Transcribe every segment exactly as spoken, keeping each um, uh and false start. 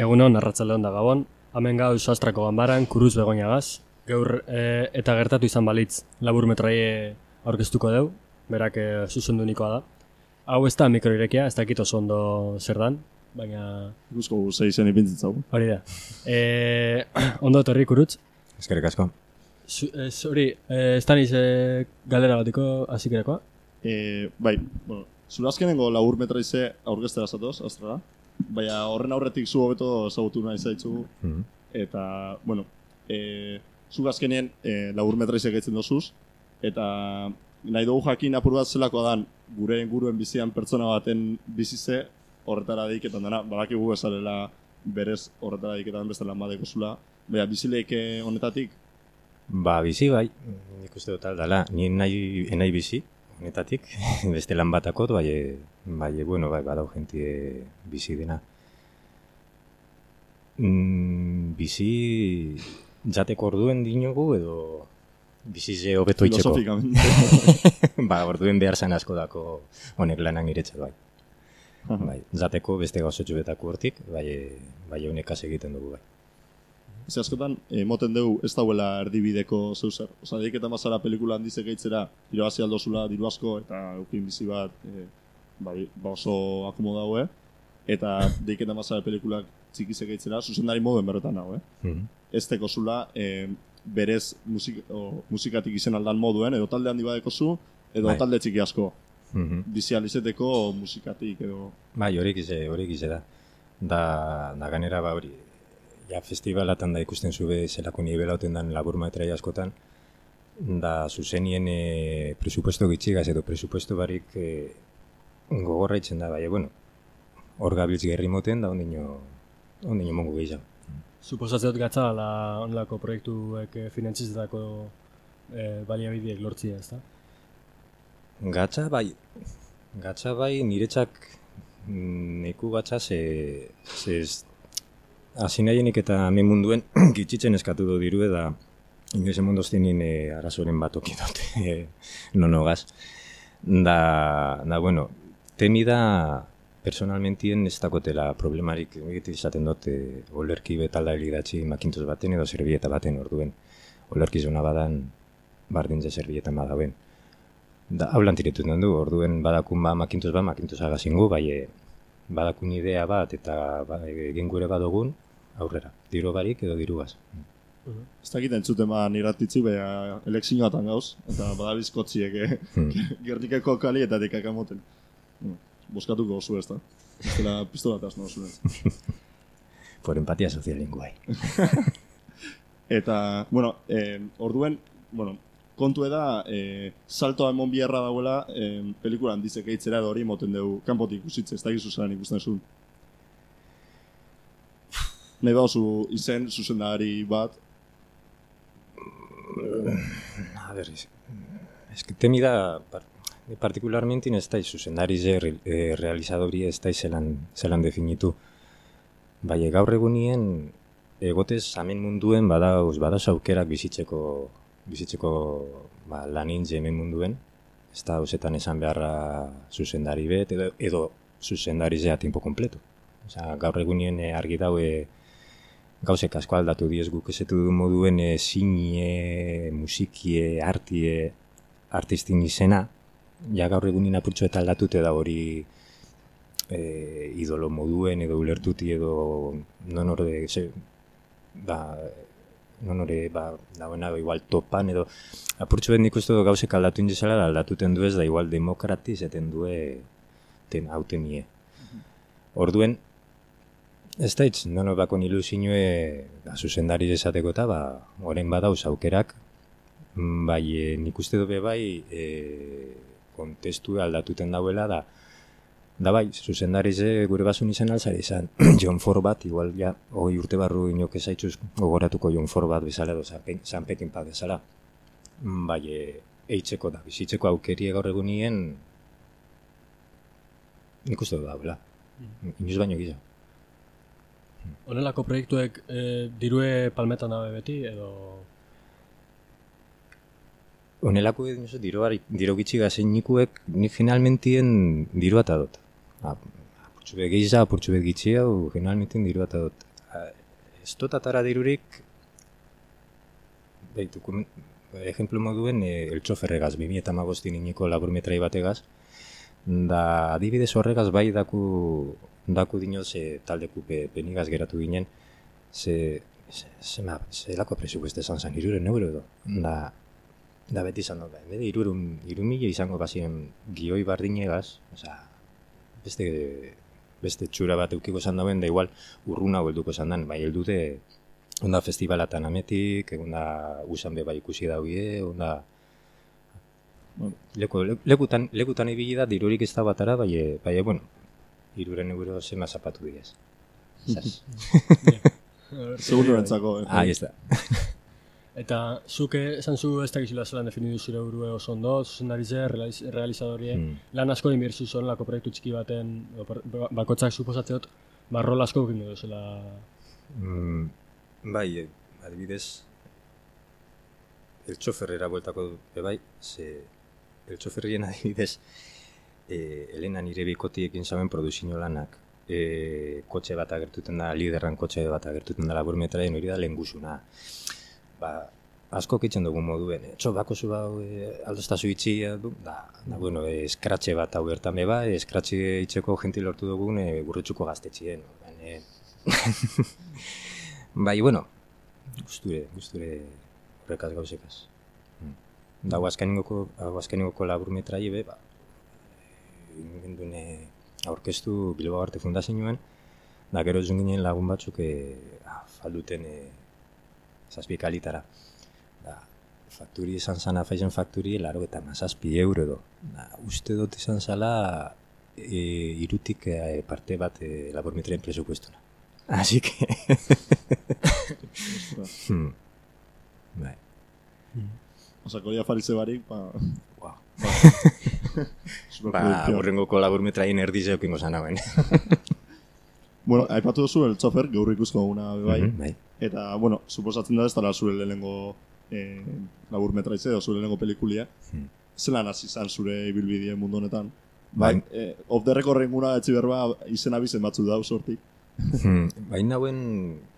Egunon, arratsaldeon da Gabon, hemen gauz Astrako ganbaran, kuruz begoinagaz, gaur e, eta gertatu izan balitz labur metraie aurkeztuko deu, berak e, zuzendunikoa da. Hau ez da mikroirekia, ez dakit oso ondo zer dan, baina... Guzko zeizen ipintzen zau. Hori da. E, ondo etorri kurutz. Eskerrik asko. Hori, e, ez da niz e, galdera batiko azikerakoa? E, bai, bueno, zure azkenengo labur metraize aurkeztera zatoz, Astrara. Baina horren aurretik zu hobeto ezagutu nahi zaitzu. Mm-hmm. Eta, bueno, e, zu azkenien e, labur metraize gaitzen dozuz. Eta nahi dugu jakin apur bat zelakoa dan gure inguruen bizian pertsona baten bizize horretara deiketan dena. Badakigu esalela berez horretara deiketan beste lan badeko zula. Baina bizileik honetatik? Ba, bizi bai, nik uste dut aldala. Ni nahi, nahi bizi honetatik, beste lan batakot, bai, bai, bueno, bai, badau jentie bizi dena. Mm, bizi jateko orduen dinogu edo bizi ze hobeto itxeko. Filosofikamente. Ba, orduen behar zan asko dako honek lanak niretxe, bai. Bai, jateko beste gauzotxu betako hortik, bai, bai honekaz egiten dugu, bai. Ez askotan, emoten dugu ez dauela erdibideko zeuzer. Osa, deiketan bazara pelikula handizek eitzera, irabazi aldozula, diru asko, eta eukin bizi bat e, ba, ba oso akomodaue. Eta deiketan bazara pelikulak txikizek eitzera, zuzendari moduen berretan nago, eh? Mm-hmm. Ez teko zula, e, berez musik, o, musikatik izen aldan moduen, edo talde handi badeko zu, edo bai. Talde txiki asko. Mm-hmm. Bizi alizeteko musikatik, edo... Bai, horik ize, horik ize da. Da, da ganera ba hori... Ja, festivalatan da ikusten zube zelako nibela oten dan labur metrai askotan, da zuzenien e, presupuesto gitxigaz edo presupuesto barik e, gogorra itzen da, bai, bueno, hor gabiltz gerri moten da ondino, ondino mongo gehiago. Suposatzeot gatza la onlako proiektuek finantzizetako e, baliabideek lortzia, ez da? Gatza, bai, gatza, bai, niretzak neku gatza ze, ze hasi nahienik eta hemen munduen gitxitzen eskatu du diru da inoiz emondoztinin e, arazoren bat okidot e, nonogaz. Da, da, bueno, temi da personalmentien ez dakotela problemarik egite izaten dut e, olerki betalda elidatzi makintoz baten edo zerbieta baten orduen. Olerki zona badan bardintze zerbietan badauen. Da, hau lantiretuten du, orduen badakun ba makintoz bat, makintoz agazingu, bai e, badakun idea bat eta ba, egin gure badogun aurrera, diru barik edo dirugaz. Uh-huh. Ez dakit entzuten ba niratitzi, beha elekzioatan gauz, eta badabizkotziek eh? hmm. Gernikeko kali eta dekakamoten. Hmm. Boskatuko oso ez da, ez dela pistolataz no zuen. Por empatia sozialin guai. Eta, bueno, eh, orduen, bueno, kontu eda, eh, saltoa emon biharra dauela, eh, pelikulan dizek eitzera edo hori moten dugu kanpotik ikusitze, ez da gizu zaren ikusten zuen. Nahi bauzu izen zuzendari bat? A ver, es, es que temi da, particularmente ez da zuzendari ze eh, realizadori ez da zelan, zelan definitu. Bai, gaur egunien egotez hemen munduen badauz, badauz aukerak bizitzeko bizitzeko ba, lanin hemen munduen, ez da hausetan esan beharra zuzendari bet, edo, edo zuzendari zea tiempo completo. Osa, gaur egunien e, argi daue gauzek asko aldatu diez guk esetu du moduen e, zinie, musikie, artie, artistin izena, ja gaur egunien apurtxo eta aldatute da hori e, idolo moduen edo ulertuti edo non hori ba, non hori, ba, dagoena igual topan edo apurtxo bet nik uste du gauzek aldatu indizela da aldatuten du ez da igual demokrati zeten due ten, hauten nie. Orduen, ez da hitz, nono bakon ilusinue ba, zuzendari esateko eta ba, orain badauz aukerak, bai e, nik uste du be bai e, kontestu aldatuten dauela da da bai, zuzendari ze gure basun izan alzari izan John Ford bat, igual ja, hoi urte barru inok ezaitxuz gogoratuko John Ford bat bezala edo San Peckinpah bezala, bai e, eitzeko da, bizitzeko aukerie gaur egunien nik uste du daula, inoz baino gisa. Honelako proiektuek e, dirue palmetan dabe beti, edo... Honelako edo diro gitxi gazein nikuek nik finalmentien dirua eta dut. Apurtxu bet gehiza, apurtxu bet gitxi hau finalmentien dirua eta dut. ez dut atara dirurik, bai, dokument, ejemplo moduen, e, El txoferregaz, bi mila hamabostin iniko laburmetrai bategaz, da adibidez horregaz bai daku, daku dinoz e, taldeku pe, penigaz geratu ginen, ze, ze, ze, ma, ze lako presupueste zan zan, iruren euro edo, da, da beti izan dut, bede irurun, irumile izango bazien gioi bardinegaz, oza, beste, beste txura bat eukiko zan dauen, da igual urruna helduko zan dan, bai heldute, onda festivalatan ametik, onda usan be bai ikusi daugie, onda bueno, leku, lekutan, lekutan ibili da, dirurik ez da batara, bai, bai, bueno, iruren euro zema zapatu diez. Seguro entzako. Ah, ez da. Eta zuke esan zu ez dakizula zelan definidu zure burue oso ondo, zuzendarize, realizadorie, mm. lan asko inbirzu zuen lako proiektu txiki baten, bakotzak suposatzeot, barrol asko egin du zela. Mm, bai, adibidez, el txoferrera bueltako dut, bai, ze el txoferrien adibidez, eh, Elena nire bikotiekin zaben produzio lanak, eh, kotxe bat agertuten da, liderran kotxe bat agertuten da laburmetraien hori da lehengusuna. Ba, asko kitzen dugu moduen, etxo bako zu bau e, aldostazu itxi, da, da, bueno, e, eskratxe bat hau gertan beba, e, eskratxe itxeko gentil lortu dugun e, gurrutxuko gaztetxien. E, bai, bueno, gusture, gusture horrekaz gauzekaz. Da, guazkaningoko, guazkaningoko laburmetrai be, ba, gendun aurkeztu Bilbao Arte Fundazioen, da, gero zun ginen lagun batzuk e, falduten e, zazpikalitara. Da, fakturi izan zana, faizen fakturi, laro eta mazazpi euro do. Da, uste dut izan zala e, irutik e, parte bat e, labormetrien presupuestuna. Así que... hmm. Bai. Osa, koria faritze barik, ba... Wow. Ba, horrengoko labormetraien erdize okingo zanagoen. Bueno, aipatu duzu el txofer, gaur ikusko guna bai. Mm-hmm, bai. Eta, bueno, suposatzen da ez dara zure lehenengo eh, labur metraize edo zure lehenengo pelikulia. Hmm. Zelan hasi izan zure ibilbidea mundu honetan? Bai. Ba, eh, off the record renguna etzi berba izen abizen batzu dau sortik. Hmm. Ba, inauen,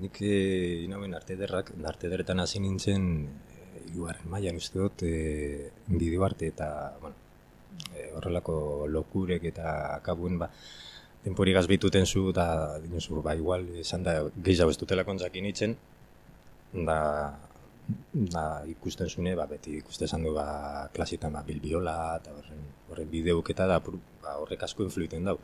nik inauen arte derrak, arte derretan hasi nintzen hirugarren e, mailan uste dut e, bideo arte eta, bueno, e, horrelako lokurek eta akabuen, ba, temporigaz behituten zu, da, dinosu, ba, igual, esan da, gehiago ez dutela kontzakin itzen, da, da, ikusten zune, ba, beti ikusten zan du, ba, klasitan, ba, bilbiola, eta horren, horren bideuk eta, da, ba, horrek asko influiten dau.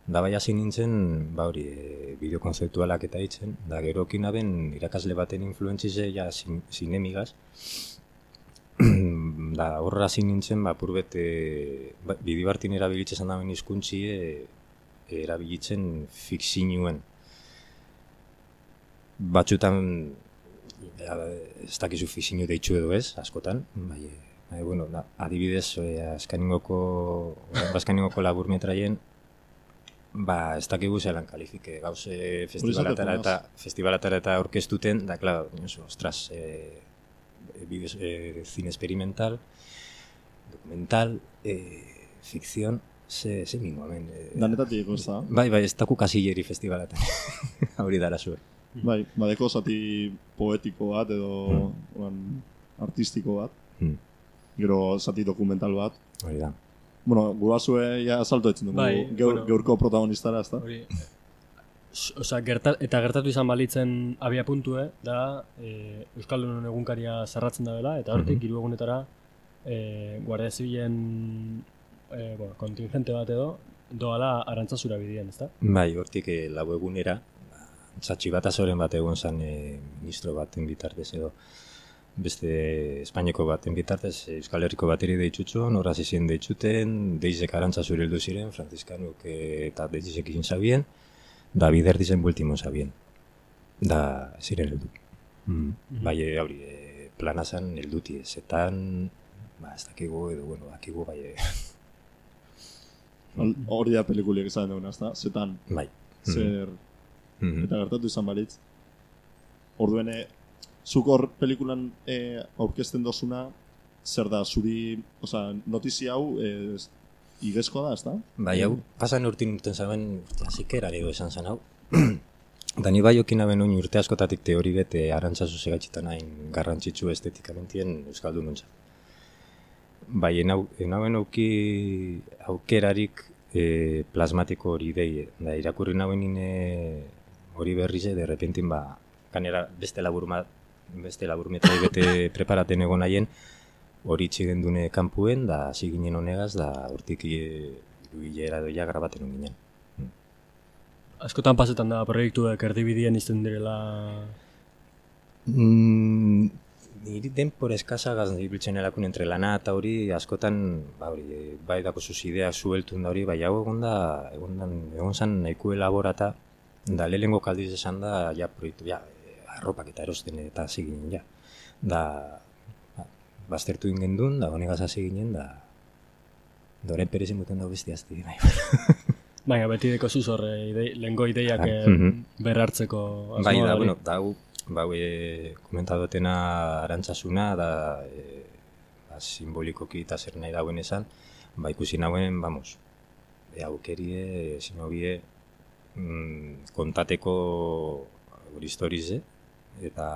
Da, bai hasi nintzen, ba, hori, e, bideo konzeptualak eta itzen, da, gero kinaben irakasle baten influentzize, ja, sin, sinemigaz, da, horra hasi nintzen, ba, purbet, e, ba, bideo hartin erabilitzen dauen hizkuntzi, e, erabilitzen fikzinuen. Batzutan ez dakizu fikzinu deitzu edo ez, askotan, bai, bai, bueno, da, adibidez, e, azkaningoko, azkaningoko laburmetraien, ba, ez dakigu zelan kalifike, gauze festivalatara eta festivalatara eta orkestuten, da, klar, ostras, e, bideo, e, cine experimental, documental, e, fikzion, Ze, ze mingoamen. Eh, Danetatik, ez da? Bai, bai, ez daku kasilleri festivalatan. Hori dara zuen. Bai, badeko zati poetiko bat edo mm. artistiko bat. Mm. Gero zati dokumental bat. Hori da. Bueno, gurasue ja salto etzen dugu bai, geur, bueno, geurko protagonistara, ez da? Hori, Osa, gertat, eta gertatu izan balitzen abia puntue, da e, Euskaldunon egunkaria zarratzen da dela, eta hortik mm-hmm. hiru egunetara e, Guardia Zibilen E, bueno, kontingente bat edo, doala Arantzazura bidien, ezta? Bai, hortik e, lau egunera, txatxi bat azoren bat egon zan e, ministro baten bitartez edo, beste Espainiako baten bitartez, Euskal Herriko bateri deitxutxo, norraz izien deitxuten, deizek Arantzazura heldu ziren, Franciskanuk e, eta deizek izin zabien, da bider dizen bultimo zabien. Da, ziren heldu. Mm. Mm-hmm. Bai, hori, e, plana zan helduti, zetan, ba, ez dakigu edo, bueno, dakigu, bai, e, hori da pelikuliak izan duguna, ezta? Zetan, bai. Zer, mm-hmm. eta gertatu izan balitz. Orduen, zuk hor pelikulan e, aurkezten dozuna, zer da, zuri, oza, notizia hau, e, igezkoa da, ezta? Bai, hau, pasan urtin urten zaben, urte azikeran edo esan zen hau. Da ni bai okin aben oin urte askotatik teori bete arantzazu segatxitan hain garrantzitsu estetikamentien euskaldun nuntza. Bai, enau, enauen auki aukerarik e, plasmatiko hori dei, da irakurri nauen nine hori berrize, de repentin ba, kanera beste labur, beste labur metrai bete preparaten egon haien, hori txigen dune kanpuen, da hasi ginen honegaz, da hortik irubilera doia grabaten hon ginen. Askotan pasetan da proiektuek erdibidien izten direla... Mm, niri denpora eskasagaz ibiltzen elakun entre lana eta hori askotan, ba hori, bai dako zuz ideak zueltun da hori, bai hau egon da, egon, dan, egon zan nahiko elaborata, da lehenengo kaldiz esan da, ja proiektu, ja, arropak eta erosten eta hasi ginen, ja. Da, ba, baztertu ingen duen, da honegaz hasi ginen, da, da horren perezin buten dago besti azti, bai. Baina, beti deko zuz horre, ide, lehenko ideiak Ah, eh, mhm. berrartzeko asmoa Bai, da, hori. bueno, da, hu, ba, e, komentadotena arantzasuna, da, e, ba, simbolikoki eta zer nahi dauen esan, ba, ikusi nauen, vamos, e, aukerie, sinobie, mm, kontateko hori historize, eta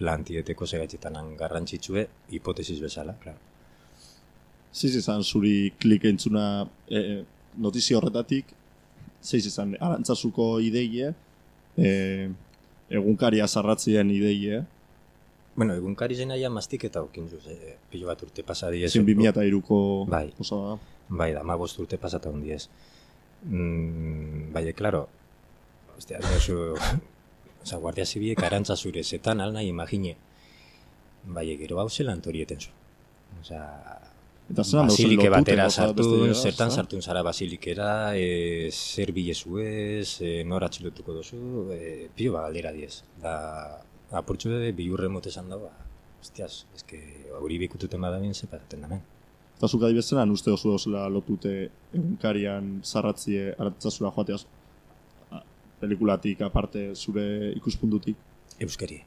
plantieteko segaitxetanan garrantzitsue, hipotesiz bezala, claro. Zeiz izan zuri klik entzuna e, notizia horretatik, zeiz izan arantzazuko ideie, e, egunkaria zarratzien ideie, Bueno, egunkari zen aia mastik eta okin zuz, e, pilo bat urte pasadiez. zin bi mila hiruko Bai. osada. Bai, da, ma bost urte pasata hundiez. Mm, bai, claro, ostia, oso, oza, Guardia Zibiek arantza zure zetan alna imagine. Bai, gero hau zelan torieten zu. Oza, Eta zelan dauzen basilike lotute, batera gauza beste sartun, dira, zertan ezta? sartun zara basilikera, e, zer bilezu ez, e, nor atxilotuko dozu, e, pilo ba galdera diez. Da, apurtxu de bilurre mote esan dago, ba, hostias, eske hori bikututen badabien zepaten damen. Eta zuk adibestenan uste oso dozela lotute egunkarian zarratzie arantzazura joateaz a, pelikulatik aparte zure ikuspuntutik. Euskeri,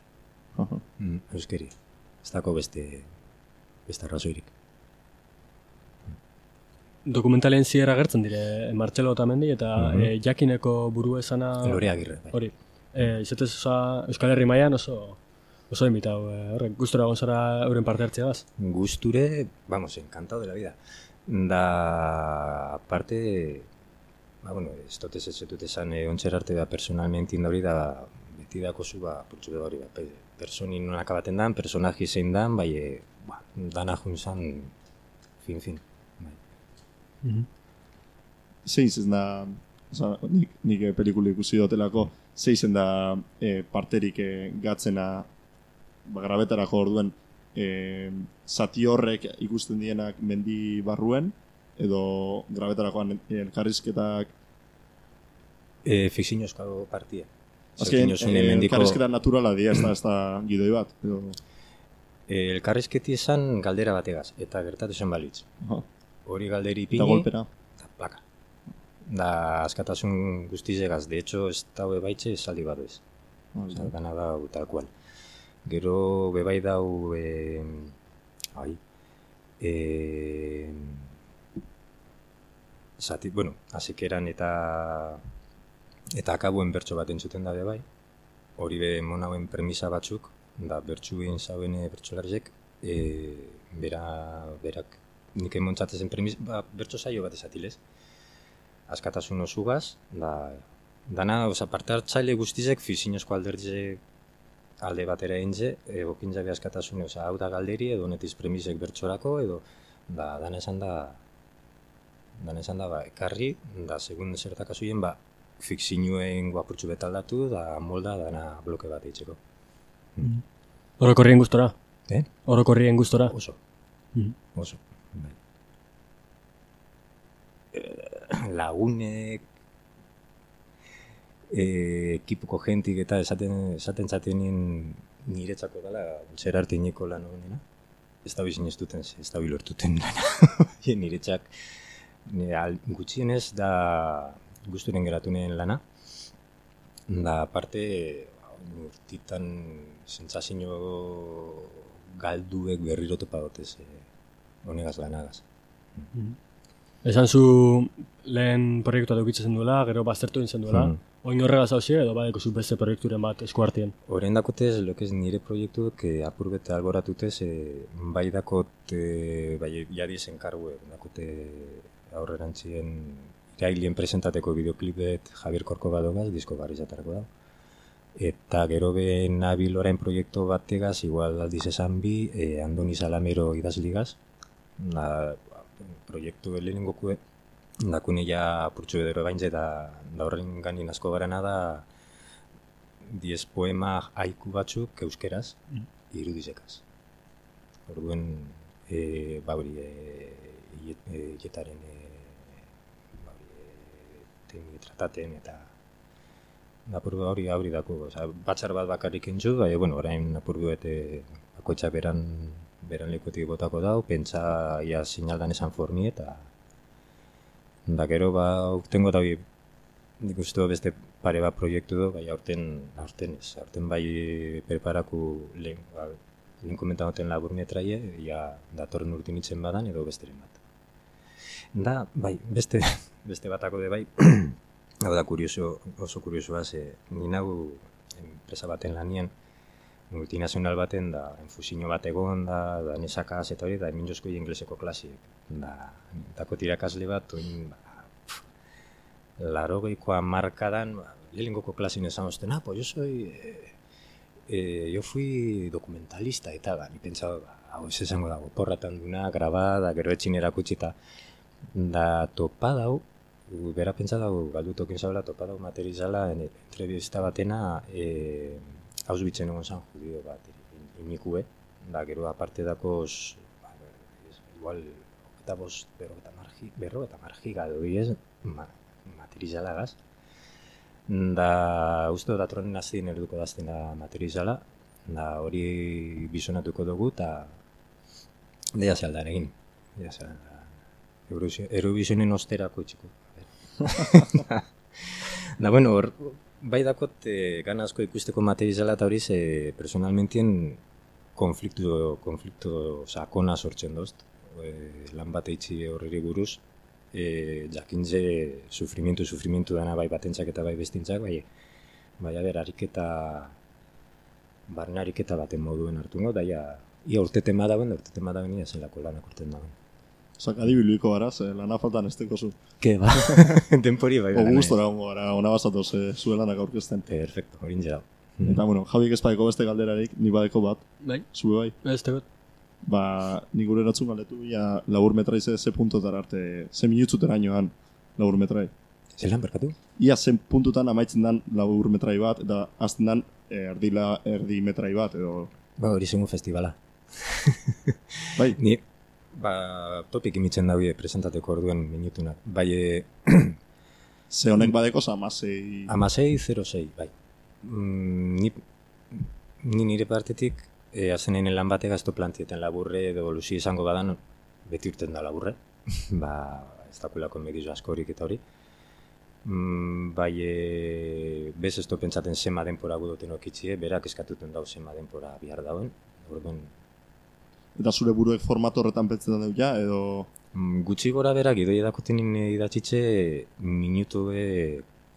Aha. mm, euskeri. Ez dako beste, beste arrazoirik. Dokumentalien zier agertzen dire Martxelo Otamendi eta Mhm. eh, jakineko buru esana... Lore Agirre, bai. Hori. Eh, izatez oza, Euskal Herri mailan oso oso invitau. Eh, horrek, gustora egon zara euren parte hartzeagaz. Gusture, vamos, encantado de la vida. Da, aparte, ba, bueno, ez dut ez dut esan eh, ontser arte da personalmente indori da, beti dako zu, ba, putzu da hori, ba, pe- personin non akabaten dan, personaji zein dan, bai, e, ba, dana junzan, fin, fin. Bai. Zeiz ez da, oza, nik, nik eh, pelikula ikusi dotelako, zeizen da e, parterik e, gatzena ba, grabetarako orduen e, zati horrek ikusten dienak mendi barruen, edo grabetarakoan elkarrizketak E, fikzinozko partia. azken Zerkin e, mendiko, elkarrizketa naturala dira, ez da, ez da gidoi bat, edo... e, elkarrizketi esan galdera bategaz, eta gertatu zen balitz. Aha. Hori galderi Eta ipini, golpera. eta plaka. Da, askatasun guztizegaz, de hecho, ez daue baitxe esaldi bat ez. Osa, gana dau, tal cual. Gero, bebai dau, e, ai, e, zati, bueno, azikeran eta eta akabuen bertso bat entzuten da bebai. Hori be monauen premisa batzuk, da bertsuin zauen bertsolarizek, e, bera, berak, nik emontzatezen premisa, ba, bertso saio bat esatilez. Askatasun osugaz, da, dana, oza, parte hartzaile guztizek fizinozko alderdize alde batera egintze, egokin jabe askatasune, oza, hau da galderi, edo netiz premisek bertsorako, edo, da, dana esan da, dana esan da, ba, ekarri, da, segun zertak azuien, ba, fikzinuen guapurtxu betaldatu, da, molda, dana bloke bat eitzeko. Orokorrien gustora. Eh? Orokorrien gustora. Oso, Mhm. oso. Bai. Eh, lagunek, eh, ekipuko jentik eta esaten, esaten zatenien niretzako dela zer artineko lan honena. Ez da bizin ez duten, ez da bilortuten lana. Niretzak nire al- gutxienez da gusturen geratunen lana. Da aparte urtitan sentsazio galduek berriro topa dotez eh, honegaz lanagaz. Esan zu lehen proiektua edukitzen duela, gero baztertu egin duela. Hmm. Oin horregaz hausia edo badeko zu beste proiekturen bat eskuartien. Horren dakotez, lokez nire proiektuak eh, apur bete alboratutez, eh, bai dakot, eh, bai jadiz enkargue, dakote aurrerantzien irailien presentateko bideoklipet Javier Corcova dogaz, disko barri zatarako da. Eta gero be nabil orain proiektu bategaz, igual aldiz esan bi, eh, Andoni Salamero idazligaz, na, proiektu lehenengokue, dakune ja apurtxo edero baintze eta da horren ganin asko garana da diez poema haiku batzuk euskeraz irudizekaz. Orduen, e, ba hori, e, jetaren e, ba hori, e, temi trataten eta apur hori hori dako, oza, batzar bat bakarrik entzu, bai, bueno, orain apur bete bakoitza beran, beran lekuetik botako dau, pentsa ia sinaldan esan forni eta da gero ba urtengo da nik uste beste pare bat proiektu du, bai aurten, aurten ez, aurten bai preparaku lehen, ba, lehen komentagoten labur metraie, ja datorren urtin itzen badan edo besteren bat. Da, bai, beste, beste batako de bai, hau da kurioso, oso kuriosoa, ze ninagu enpresa baten lanien, multinazional baten, da, enfusino bat egon, da, da nesakaz eta hori, da, minjozko ingleseko klasiek. Da, dako tirakasle bat, oin, ba, larogeikoa markadan, ba, lehengoko klasien esan osten, ah, pues yo soy, eh, eh, yo fui documentalista eta, ba, ni pentsaba, ba, hau ez esango dago, porratan duna, grabada, gero etxin erakutsita, da, topa dau, bera pentsa dago, galdutokin zabela, topa dau materizala, entrevista batena, eh, Auschwitzen egon zan judio bat, inikue, da, gero aparte dakoz, ba, igual, eta bost, berro eta margi, berro eta margi gado, ez, ma, materizalagaz. Da, uste datorren nazien erduko daztena materizala, da, hori bizonatuko dugu, eta deia zealdan egin. Deia zealdan, Eurovisionen osterako itxiko. Da, bueno, hor, bai dakot, eh, gana asko ikusteko materizala eta hori ze personalmentien konfliktu, konfliktu sakona sortzen dozt. E, lan bat eitzi horreri buruz, e, jakintze sufrimientu, sufrimientu dana bai batentzak eta bai bestintzak, bai, bai aber, ariketa, barne ariketa baten moduen hartungo, da ia, ia urtetema dauen, da urtetema dauen ia zelako lanak urten dauen. Osak, adibiluiko gara, ze lana faltan ez teko zu. Ke, ba, tempori bai. Ogu gustora hongo gara, ona basatoz e, zuen lanak aurkezten. Perfecto, horin jera. Eta, bueno, Javiek ez badeko beste galderarik, ni badeko bat, Bai, zue bai. ez tegot. Ba, nik gure eratzun galetu, ja, labur metrai ze, ze puntotara arte, ze minutzutera inoan labur metrai. Zelan, berkatu? Ia zen puntutan amaitzen dan labur metrai bat, eta azten dan erdi, la, erdi metrai bat, edo... Ba, hori zengu festivala. Bai, Ni, ba, topik imitzen daue presentateko orduen minutunak. Bai, e, ze honek badeko amasei... amasei zero sei, bai. Mm, ni, ni nire partetik, e, azenen lan batek gazto plantieten laburre edo luzi izango badan, beti urten da laburre. Ba, ez dakulako medizo askorik eta hori. Mm, bai, e, bez ez do pentsaten zema denpora gudoten okitzie, berak eskatuten dau zema denpora bihar dauen. Orduan, Eta zure buruek formato horretan pentsetan dut ja, edo... mm, gutxi gora berak idoi edakoten idatzitze minutu be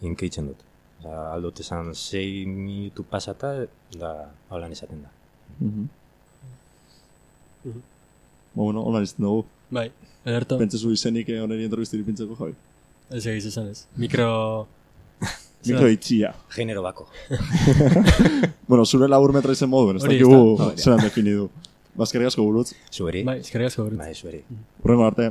inkeitzen dut. Osa, aldot esan sei minutu pasata, da holan esaten da. Mhm. Mhm. Ba, bueno, holan izten dugu. Bai, ederto. Pentsezu izenik oneri entrevistiri pintzeko, Javi. Ez egiz esan ez. Mikro... Mikro itxia. Genero bako. Bueno, zure labur metra izen moduen, ez Hori, dakigu ez da. zelan definidu. Bazkerrik asko burutz. Zueri? Bai, eskerrik asko. Bai, zueri. Hurrengo arte.